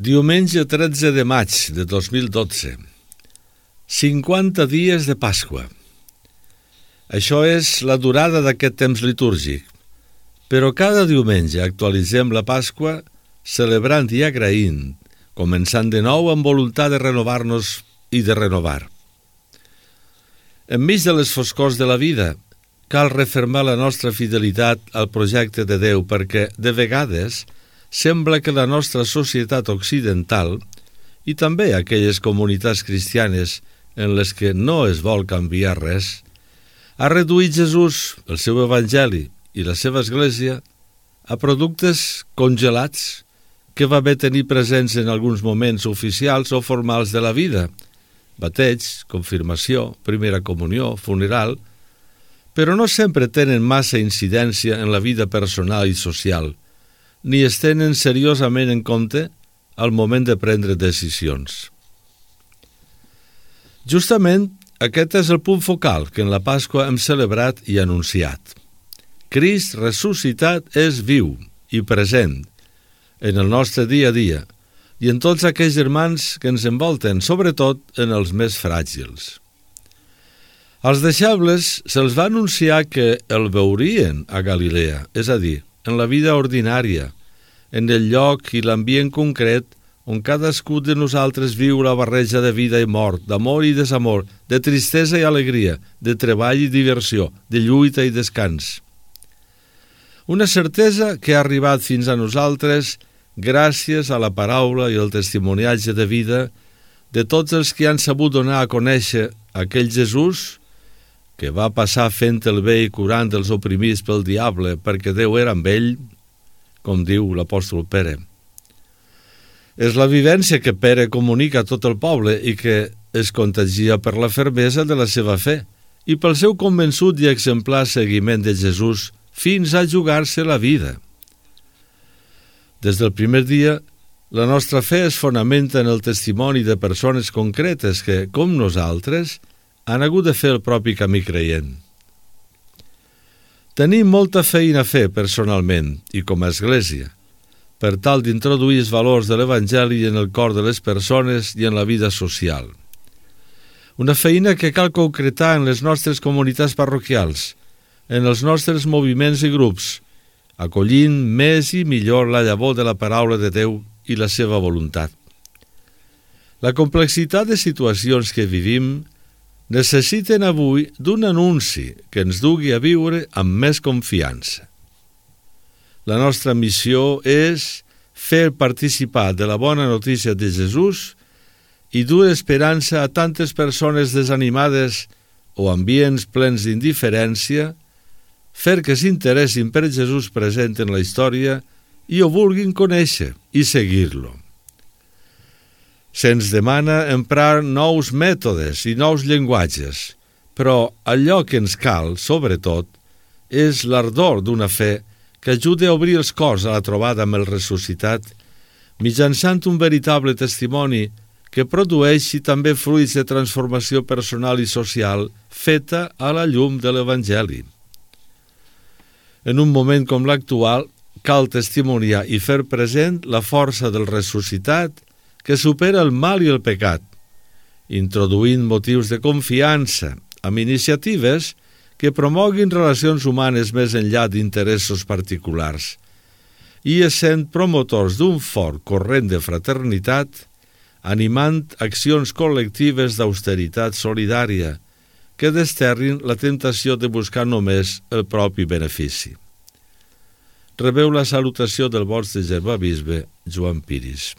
Diumenge 13 de maig de 2012. 50 dies de Pasqua. Això és la durada d'aquest temps litúrgic, però cada diumenge actualitzem la Pasqua celebrant i agraint, començant de nou amb voluntat de renovar-nos i de renovar. Enmig de les foscors de la vida, cal refermar la nostra fidelitat al projecte de Déu perquè, de vegades, sembla que la nostra societat occidental i també aquelles comunitats cristianes en les que no es vol canviar res, ha reduït Jesús, el seu evangeli i la seva església a productes congelats que va bé tenir presents en alguns moments oficials o formals de la vida, bateig, confirmació, primera comunió, funeral, però no sempre tenen massa incidència en la vida personal i social, ni es tenen seriosament en compte al moment de prendre decisions. Justament, aquest és el punt focal que en la Pasqua hem celebrat i anunciat. Crist ressuscitat és viu i present en el nostre dia a dia i en tots aquells germans que ens envolten, sobretot en els més fràgils. Als deixebles se'ls va anunciar que el veurien a Galilea, és a dir, en la vida ordinària, en el lloc i l'ambient concret on cadascú de nosaltres viu la barreja de vida i mort, d'amor i desamor, de tristesa i alegria, de treball i diversió, de lluita i descans. Una certesa que ha arribat fins a nosaltres gràcies a la paraula i el testimoniatge de vida de tots els que han sabut donar a conèixer aquell Jesús que va passar fent el bé i curant els oprimits pel diable perquè Déu era amb ell, com diu l'apòstol Pere. És la vivència que Pere comunica a tot el poble i que es contagia per la fermesa de la seva fe i pel seu convençut i exemplar seguiment de Jesús fins a jugar-se la vida. Des del primer dia, la nostra fe es fonamenta en el testimoni de persones concretes que, com nosaltres, han hagut de fer el propi camí creient. Tenim molta feina a fer personalment i com a església per tal d'introduir els valors de l'Evangeli en el cor de les persones i en la vida social. Una feina que cal concretar en les nostres comunitats parroquials, en els nostres moviments i grups, acollint més i millor la llavor de la paraula de Déu i la seva voluntat. La complexitat de situacions que vivim necessiten avui d'un anunci que ens dugui a viure amb més confiança. La nostra missió és fer participar de la bona notícia de Jesús i dur esperança a tantes persones desanimades o ambients plens d'indiferència, fer que s'interessin per Jesús present en la història i ho vulguin conèixer i seguir-lo. Se'ns demana emprar nous mètodes i nous llenguatges, però allò que ens cal, sobretot, és l'ardor d'una fe que ajude a obrir els cors a la trobada amb el ressuscitat, mitjançant un veritable testimoni que produeixi també fruits de transformació personal i social feta a la llum de l'Evangeli. En un moment com l'actual, cal testimoniar i fer present la força del ressuscitat que supera el mal i el pecat, introduint motius de confiança amb iniciatives que promoguin relacions humanes més enllà d'interessos particulars i essent promotors d'un fort corrent de fraternitat, animant accions col·lectives d'austeritat solidària que desterrin la temptació de buscar només el propi benefici. Rebeu la salutació del vostre germà bisbe Joan Piris.